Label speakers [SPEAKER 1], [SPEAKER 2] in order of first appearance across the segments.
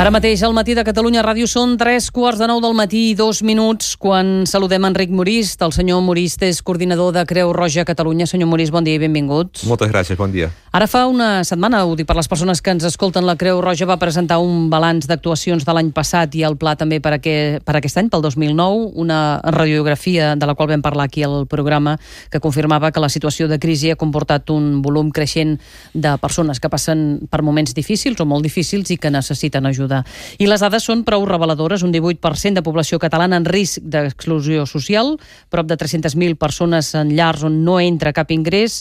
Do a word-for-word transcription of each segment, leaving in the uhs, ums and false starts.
[SPEAKER 1] Ara mateix al Matí de Catalunya Ràdio són tres quarts de nou del matí i dos minuts quan saludem Enric Morist. El senyor Morist és coordinador de Creu Roja Catalunya. Senyor Morist, bon dia i benvingut.
[SPEAKER 2] Moltes gràcies, bon dia.
[SPEAKER 1] Ara fa una setmana, ho dic per les persones que ens escolten, la Creu Roja va presentar un balanç d'actuacions de l'any passat i el pla també per, aquest, per aquest any, pel dos mil nou, una radiografia de la qual vam parlar aquí al programa que confirmava que la situació de crisi ha comportat un volum creixent de persones que passen per moments difícils o molt difícils i que necessiten ajuda. I les dades són prou reveladores. Un divuit per cent de població catalana en risc d'exclusió social, prop de tres-centes mil persones en llars on no entra cap ingrés.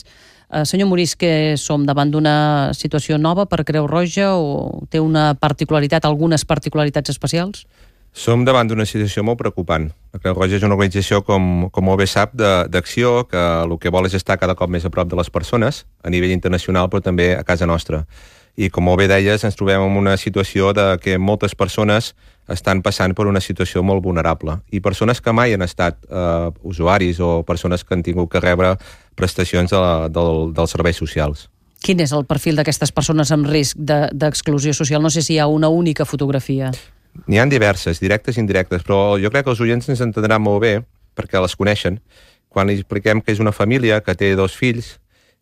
[SPEAKER 1] Eh, senyor Morist, que som davant d'una situació nova per Creu Roja o té una particularitat, algunes particularitats especials?
[SPEAKER 2] Som davant d'una situació molt preocupant. La Creu Roja és una organització, com, com molt bé sap, d'acció, que el que vol és estar cada cop més a prop de les persones, a nivell internacional, però també a casa nostra. I com molt bé deies, ens trobem en una situació de que moltes persones estan passant per una situació molt vulnerable. I persones que mai han estat eh, usuaris o persones que han tingut que rebre prestacions de la, del, dels serveis socials.
[SPEAKER 1] Quin és el perfil d'aquestes persones amb risc d'exclusió de, social? No sé si hi ha una única fotografia.
[SPEAKER 2] N'hi ha diverses, directes i indirectes, però jo crec que els oients ens entendran molt bé, perquè les coneixen, quan li expliquem que és una família que té dos fills,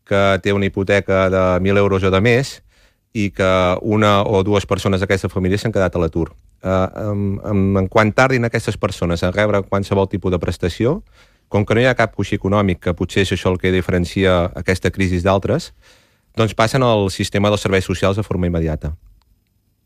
[SPEAKER 2] que té una hipoteca de mil euros o de més, i que una o dues persones d'aquesta família s'han quedat a l'atur. Uh, en, en, en quan tardin aquestes persones a rebre qualsevol tipus de prestació, com que no hi ha cap coixí econòmic, que potser és això el que diferencia aquesta crisi d'altres, doncs passen al sistema dels serveis socials de forma immediata.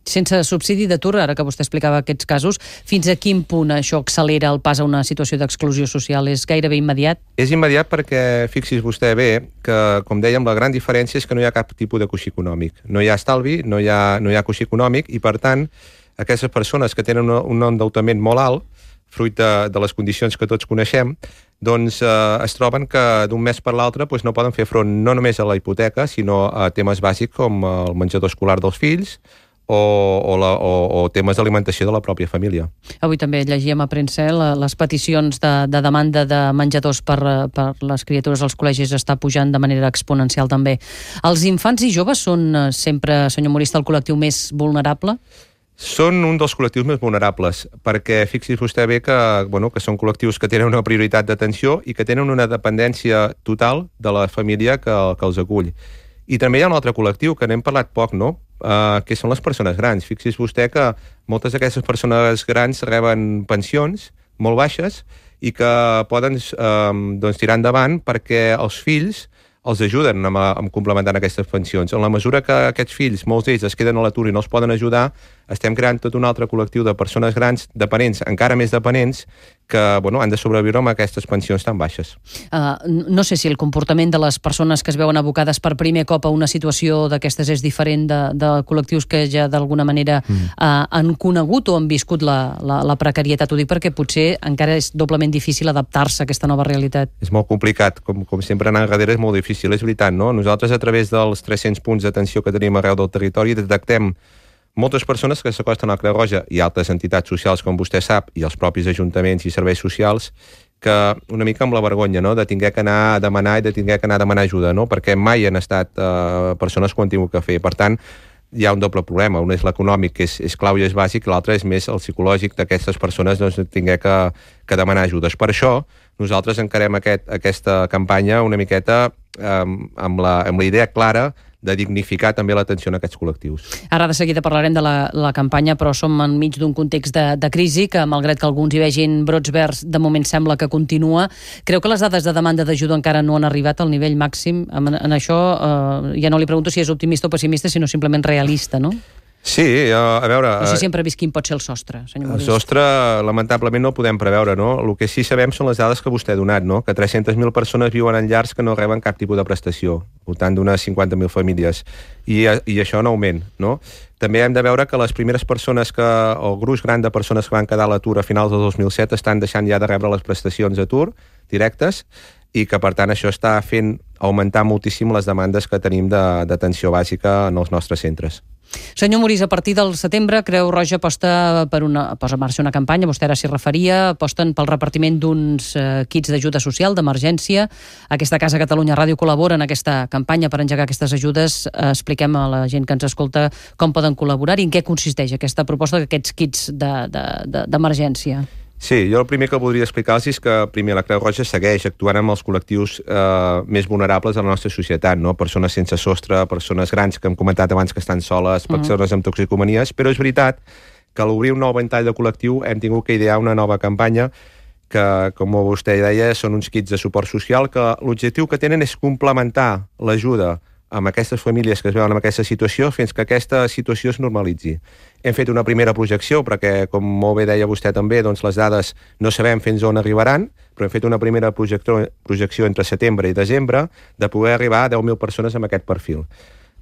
[SPEAKER 1] Sense subsidi d'atur, ara que vostè explicava aquests casos, fins a quin punt això accelera el pas a una situació d'exclusió social? És gairebé immediat?
[SPEAKER 2] És immediat perquè, fixi's vostè bé, que, com dèiem, la gran diferència és que no hi ha cap tipus de coixí econòmic. No hi ha estalvi, no hi ha, no hi ha coixí econòmic, i per tant, aquestes persones que tenen un, un endeutament molt alt, fruit de, de les condicions que tots coneixem, doncs eh, es troben que d'un mes per l'altre doncs, no poden fer front no només a la hipoteca, sinó a temes bàsics com el menjador escolar dels fills, O, o, la, o, o temes d'alimentació de la pròpia família.
[SPEAKER 1] Avui també llegíem a premsa les peticions de, de demanda de menjadors per, per les criatures als col·legis està pujant de manera exponencial també. Els infants i joves són sempre, senyor Morist, el col·lectiu més vulnerable?
[SPEAKER 2] Són un dels col·lectius més vulnerables, perquè fixi's vostè bé que, bueno, que són col·lectius que tenen una prioritat d'atenció i que tenen una dependència total de la família que, que els acull. I també hi ha un altre col·lectiu que n'hem parlat poc, no?, uh, que són les persones grans. Fixi's vostè que moltes d'aquestes persones grans reben pensions molt baixes i que poden uh, doncs, tirar endavant perquè els fills els ajuden amb, amb complementant aquestes pensions. En la mesura que aquests fills, molts d'ells, es queden a l'atur i no els poden ajudar, estem creant tot un altre col·lectiu de persones grans, dependents, encara més dependents, que bueno, han de sobreviure amb aquestes pensions tan baixes.
[SPEAKER 1] Uh, no sé si el comportament de les persones que es veuen abocades per primer cop a una situació d'aquestes és diferent de, de col·lectius que ja d'alguna manera mm. uh, han conegut o han viscut la, la, la precarietat. Ho dic perquè potser encara és doblement difícil adaptar-se a aquesta nova realitat.
[SPEAKER 2] És molt complicat, com, com sempre anar enrere és molt difícil. És veritat, no? Nosaltres, a través dels tres-cents punts d'atenció que tenim arreu del territori, detectem moltes persones que s'acosten a la Creu Roja i altres entitats socials, com vostè sap, i els propis ajuntaments i serveis socials, que una mica amb la vergonya, no?, de tinguer que anar a demanar i de tinguer que anar a demanar ajuda, no?, perquè mai han estat eh, persones que ho han tingut que fer. Per tant, hi ha un doble problema. Un és l'econòmic, que és, és clau i és bàsic, l'altre és més el psicològic d'aquestes persones, doncs, de tinguer que, que demanar ajudes. Per això, nosaltres encarem aquest, aquesta campanya una miqueta eh, amb, la, amb la idea clara de dignificar també l'atenció a aquests col·lectius.
[SPEAKER 1] Ara de seguida parlarem de la, la campanya, però som enmig d'un context de, de crisi que, malgrat que alguns hi vegin brots verds, de moment sembla que continua. Creu que les dades de demanda d'ajuda encara no han arribat al nivell màxim? En, en això eh, ja no li pregunto si és optimista o pessimista, sinó simplement realista, no?
[SPEAKER 2] Sí, a veure...
[SPEAKER 1] No sé si hem previst quin pot ser el sostre, senyor Morist.
[SPEAKER 2] El sostre, lamentablement, no el podem preveure, no? El que sí sabem són les dades que vostè ha donat, no? Que tres-centes mil persones viuen en llars que no reben cap tipus de prestació, al voltant d'unes cinquanta mil famílies, i, i això en augment, no? També hem de veure que les primeres persones que, el gruix gran de persones que van quedar a l'atur a finals del dos mil set estan deixant ja de rebre les prestacions d'atur directes, i que, per tant, això està fent augmentar moltíssim les demandes que tenim d'atenció bàsica en els nostres centres.
[SPEAKER 1] Senyor Morís, a partir del setembre, Creu Roja posta, per una, posa en marxa una campanya, vostè ara s'hi referia, aposten pel repartiment d'uns eh, kits d'ajuda social, d'emergència. Aquesta Casa Catalunya Ràdio col·labora en aquesta campanya per engegar aquestes ajudes. Eh, expliquem a la gent que ens escolta com poden col·laborar i en què consisteix aquesta proposta d'aquests kits d'emergència. De, de, de,
[SPEAKER 2] Sí, jo el primer que voldria explicar-los és que primer la Creu Roja segueix actuant amb els col·lectius eh, més vulnerables de la nostra societat, no? Persones sense sostre, persones grans que hem comentat abans que estan soles, persones mm. amb toxicomanies, però és veritat que a l'obrir un nou ventall de col·lectiu hem tingut que idear una nova campanya que, com vostè deia, són uns kits de suport social que l'objectiu que tenen és complementar l'ajuda amb aquestes famílies que es veuen en aquesta situació fins que aquesta situació es normalitzi. Hem fet una primera projecció perquè, com molt bé deia vostè també, doncs les dades no sabem fins on arribaran, però hem fet una primera projecció entre setembre i desembre de poder arribar a deu mil persones amb aquest perfil.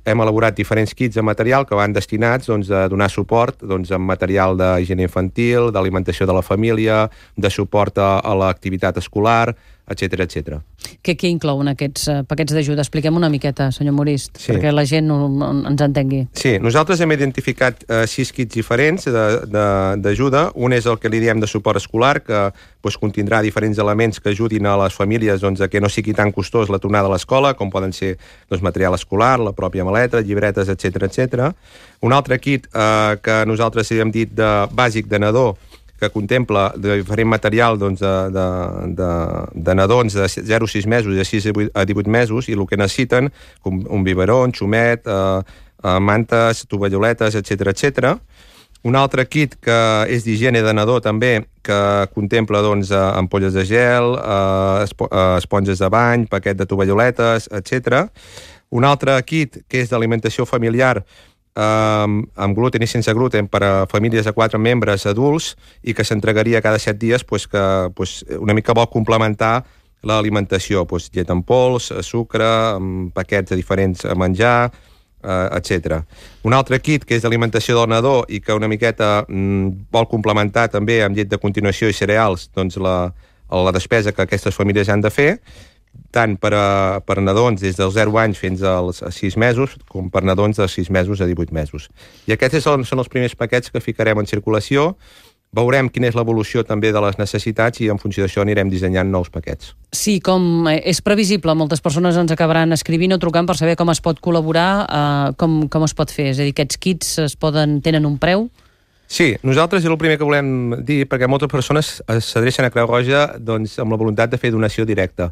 [SPEAKER 2] Hem elaborat diferents kits de material que van destinats doncs, a donar suport doncs, amb material d'higiene infantil, d'alimentació de la família, de suport a, a l'activitat escolar, etcètera, etcètera.
[SPEAKER 1] Què, què inclouen aquests uh, paquets d'ajuda? Expliquem una miqueta, senyor Morist,
[SPEAKER 2] sí.
[SPEAKER 1] perquè la gent no, no, ens entengui.
[SPEAKER 2] Sí, nosaltres hem identificat uh, sis kits diferents d'ajuda. Un és el que li diem de suport escolar, que doncs, contindrà diferents elements que ajudin a les famílies doncs, a que no sigui tan costós la tornada a l'escola, com poden ser doncs, material escolar, la pròpia maleta, llibretes, etcètera, etcètera. Un altre kit uh, que nosaltres hem dit de bàsic de nadó, que contempla de diferent material doncs, de, de, de, de nadons de zero a sis mesos i de sis a divuit mesos, i el que necessiten, com un biberó, un xumet, eh, eh, mantes, tovalloletes, etcètera, etcètera. Un altre kit que és d'higiene de nadó també, que contempla doncs, ampolles de gel, eh, espo, eh, esponges de bany, paquet de tovalloletes, etcètera. Un altre kit que és d'alimentació familiar, Um, amb gluten i sense gluten per a famílies de quatre membres adults i que s'entregaria cada set dies pues, que pues, una mica vol complementar l'alimentació, pues, llet en pols, sucre, paquets de diferents a menjar, uh, etcètera. Un altre kit que és d'alimentació del nadó i que una miqueta mm, vol complementar també amb llet de continuació i cereals doncs la, la despesa que aquestes famílies han de fer, tant per a, per a nadons des dels zero anys fins als sis mesos, com per nadons de sis mesos a divuit mesos. I aquests són, són els primers paquets que ficarem en circulació. Veurem quina és l'evolució també de les necessitats i en funció d'això anirem dissenyant nous paquets.
[SPEAKER 1] Sí, com és previsible, moltes persones ens acabaran escrivint o trucant per saber com es pot col·laborar, eh, com, com es pot fer. És a dir, aquests kits es poden, tenen un preu?
[SPEAKER 2] Sí, nosaltres és el primer que volem dir, perquè moltes persones s'adrecen a Creu Roja doncs, amb la voluntat de fer donació directa.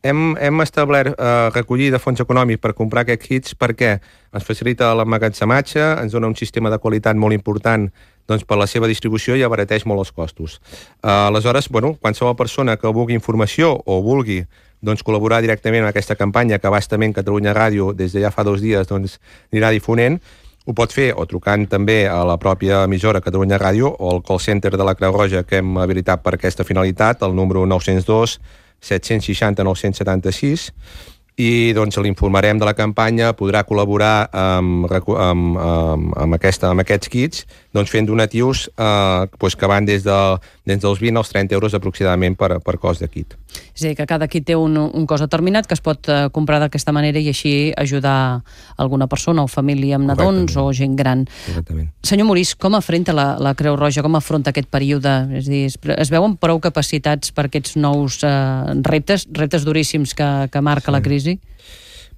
[SPEAKER 2] Hem, hem establert eh, recollir de fons econòmics per comprar aquests kits perquè ens facilita l'emmagatzematge, ens dona un sistema de qualitat molt important doncs, per la seva distribució i abarateix molt els costos. Uh, aleshores, bueno, qualsevol persona que vulgui informació o vulgui doncs, col·laborar directament en aquesta campanya que bastament Catalunya Ràdio des de ja fa dos dies doncs, anirà difonent, ho pot fer o trucant també a la pròpia emissora Catalunya Ràdio o al call center de la Creu Roja que hem habilitat per aquesta finalitat, el número nou zero dos set-cents seixanta nou-cents setanta-sis, i doncs l'informarem de la campanya, podrà col·laborar amb, amb, amb, amb, aquesta, amb aquests kits, doncs fent donatius eh, doncs que van des, de, des dels vint als trenta euros aproximadament per, per cost de kit.
[SPEAKER 1] És a dir, que cada kit té un, un cost determinat que es pot eh, comprar d'aquesta manera i així ajudar alguna persona o família amb nadons o gent gran.
[SPEAKER 2] Exactament.
[SPEAKER 1] Senyor Morís, com afronta la, la Creu Roja, com afronta aquest període? És a dir, es, es veuen prou capacitats per aquests nous eh, reptes, reptes duríssims que, que marca sí. la crisi?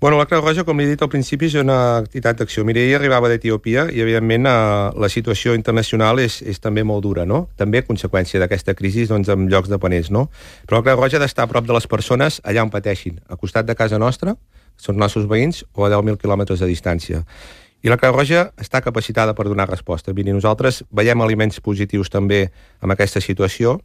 [SPEAKER 2] Bueno, la Creu Roja, com li he dit al principi, és una entitat d'acció. Mira, ella arribava d'Etiòpia i, evidentment, eh, la situació internacional és, és també molt dura, no? També a conseqüència d'aquesta crisi doncs, en llocs dependents, no? Però la Creu Roja ha d'estar a prop de les persones allà on pateixin, a costat de casa nostra, són els nostres veïns, o a deu mil quilòmetres de distància. I la Creu Roja està capacitada per donar resposta. Miri, nosaltres veiem elements positius també en aquesta situació,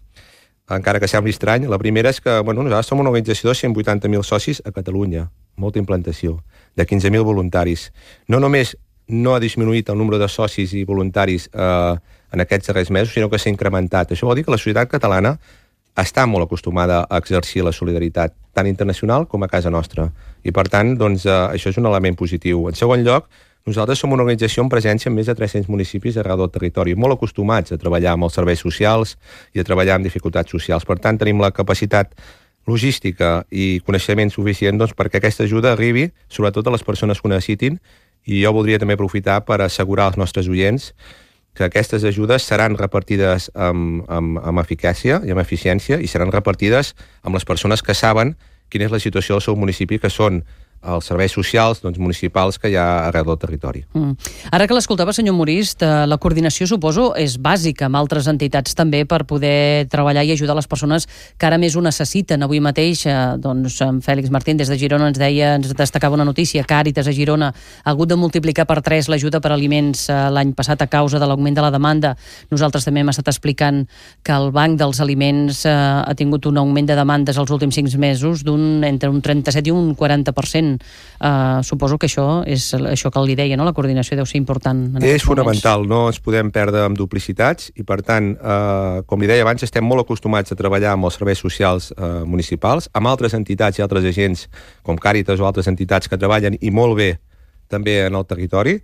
[SPEAKER 2] encara que sembli estrany. La primera és que bueno, nosaltres som una organització de cent vuitanta mil socis a Catalunya, molta implantació, de quinze mil voluntaris. No només no ha disminuït el nombre de socis i voluntaris eh, en aquests darrers mesos, sinó que s'ha incrementat. Això vol dir que la societat catalana està molt acostumada a exercir la solidaritat, tant internacional com a casa nostra. I, per tant, doncs, eh, això és un element positiu. En segon lloc, nosaltres som una organització amb presència en més de tres-cents municipis arreu del territori, molt acostumats a treballar amb els serveis socials i a treballar amb dificultats socials. Per tant, tenim la capacitat logística i coneixement suficient doncs, perquè aquesta ajuda arribi sobretot a les persones que ho necessitin I jo voldria també aprofitar per assegurar als nostres oients que aquestes ajudes seran repartides amb, amb, amb eficàcia i amb eficiència i seran repartides amb les persones que saben quina és la situació del seu municipi, que són els serveis socials doncs, municipals que hi ha arreu del territori.
[SPEAKER 1] Mm. Ara que l'escoltava, senyor Morist, la coordinació, suposo, és bàsica amb altres entitats també per poder treballar i ajudar les persones que ara més ho necessiten. Avui mateix, eh, doncs, en Fèlix Martín des de Girona ens deia, ens destacava una notícia, Càritas a Girona ha hagut de multiplicar per tres l'ajuda per aliments eh, l'any passat a causa de l'augment de la demanda. Nosaltres també hem estat explicant que el Banc dels Aliments eh, ha tingut un augment de demandes els últims cinc mesos d'un entre un trenta-set i un quaranta per cent. Uh, suposo que això és això que li deia, no? La coordinació deu ser important.
[SPEAKER 2] És fonamental, no ens podem perdre amb duplicitats i per tant, uh, com li deia abans, estem molt acostumats a treballar amb els serveis socials uh, municipals, amb altres entitats i altres agents com Càritas o altres entitats que treballen i molt bé també en el territori.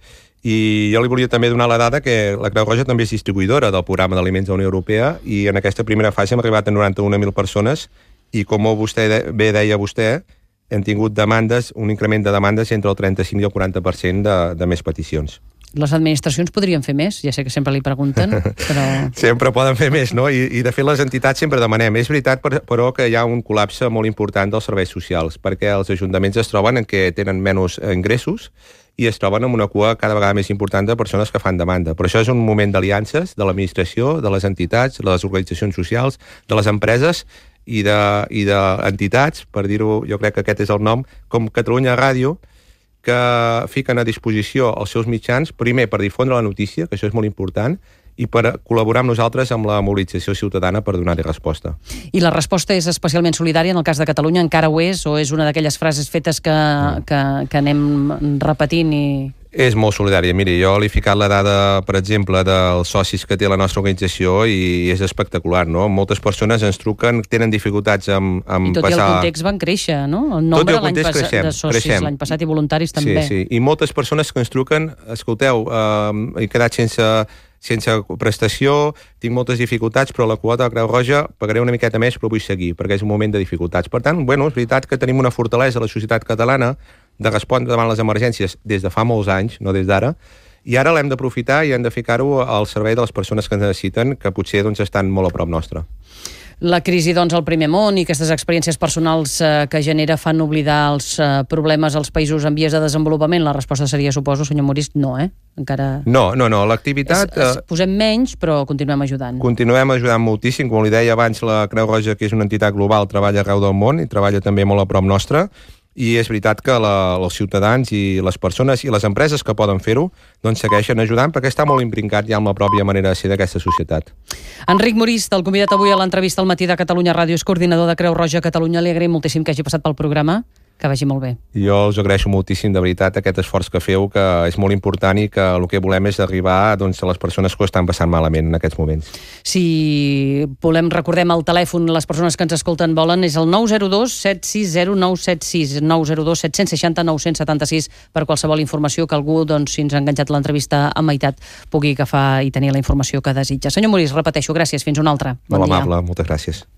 [SPEAKER 2] I jo li volia també donar la dada que la Creu Roja també és distribuïdora del programa d'aliments de la Unió Europea i en aquesta primera fase hem arribat a noranta-una mil persones i com vostè de, bé deia vostè, hem tingut demandes, un increment de demandes entre el trenta-cinc i el quaranta per cent de, de més peticions.
[SPEAKER 1] Les administracions podrien fer més? Ja sé que sempre li pregunten, però...
[SPEAKER 2] Sempre poden fer més, no? I, i de fet les entitats sempre demanem. És veritat, però, que hi ha un col·lapse molt important dels serveis socials, perquè els ajuntaments es troben en què tenen menys ingressos i es troben amb una cua cada vegada més important de persones que fan demanda. Però això és un moment d'aliances de l'administració, de les entitats, de les organitzacions socials, de les empreses i d'entitats, per dir-ho, jo crec que aquest és el nom, com Catalunya Ràdio, que fiquen a disposició els seus mitjans, primer per difondre la notícia, que això és molt important, i per col·laborar amb nosaltres amb la mobilització ciutadana per donar-hi resposta.
[SPEAKER 1] I la resposta és especialment solidària, en el cas de Catalunya encara ho és, o és una d'aquelles frases fetes que, que, que anem repetint i...
[SPEAKER 2] És molt solidària. Miri, jo li he ficat la dada, per exemple, dels socis que té la nostra organització i és espectacular, no? Moltes persones ens truquen, tenen dificultats amb, amb
[SPEAKER 1] I tot
[SPEAKER 2] passar...
[SPEAKER 1] i el context van créixer, no? El nombre
[SPEAKER 2] el
[SPEAKER 1] l'any passat de socis l'any passat i voluntaris també.
[SPEAKER 2] Sí, sí. I moltes persones que ens truquen, escolteu, eh, he quedat sense... sense prestació, tinc moltes dificultats, però la quota de Creu Roja pagaré una miqueta més, però vull seguir, perquè és un moment de dificultats. Per tant, bueno, és veritat que tenim una fortalesa a la societat catalana de respondre davant les emergències des de fa molts anys, no des d'ara, i ara l'hem d'aprofitar i hem de ficar-ho al servei de les persones que ens necessiten, que potser doncs, estan molt a prop nostre.
[SPEAKER 1] La crisi, doncs, al primer món i aquestes experiències personals eh, que genera fan oblidar els eh, problemes als països en vies de desenvolupament? La resposta seria, suposo, senyor Morist, no, eh? Encara...
[SPEAKER 2] No, no, no, l'activitat...
[SPEAKER 1] Es, es posem menys, però continuem ajudant.
[SPEAKER 2] Continuem ajudant moltíssim. Com li deia abans, la Creu Roja, que és una entitat global, treballa arreu del món i treballa també molt a prop nostre. I és veritat que la, els ciutadans i les persones i les empreses que poden fer-ho doncs segueixen ajudant perquè està molt imprincat ja amb la pròpia manera de ser d'aquesta societat.
[SPEAKER 1] Enric Morist, el convidat avui a l'entrevista al Matí de Catalunya Ràdio, és coordinador de Creu Roja Catalunya. Li agraïm moltíssim que hagi passat pel programa. Que vagi molt bé.
[SPEAKER 2] Jo us agraeixo moltíssim, de veritat, aquest esforç que feu, que és molt important i que el que volem és arribar doncs, a les persones que ho estan passant malament en aquests moments.
[SPEAKER 1] Si volem, recordem el telèfon, les persones que ens escolten volen, és el nou zero dos set sis zero nou set sis, nou zero dos set sis zero nou set sis, per qualsevol informació que algú, doncs, si ens ha enganxat l'entrevista a meitat, pugui agafar i tenir la informació que desitja. Senyor Morist, repeteixo, gràcies, fins una altra.
[SPEAKER 2] Bon molt dia. Amable, moltes gràcies.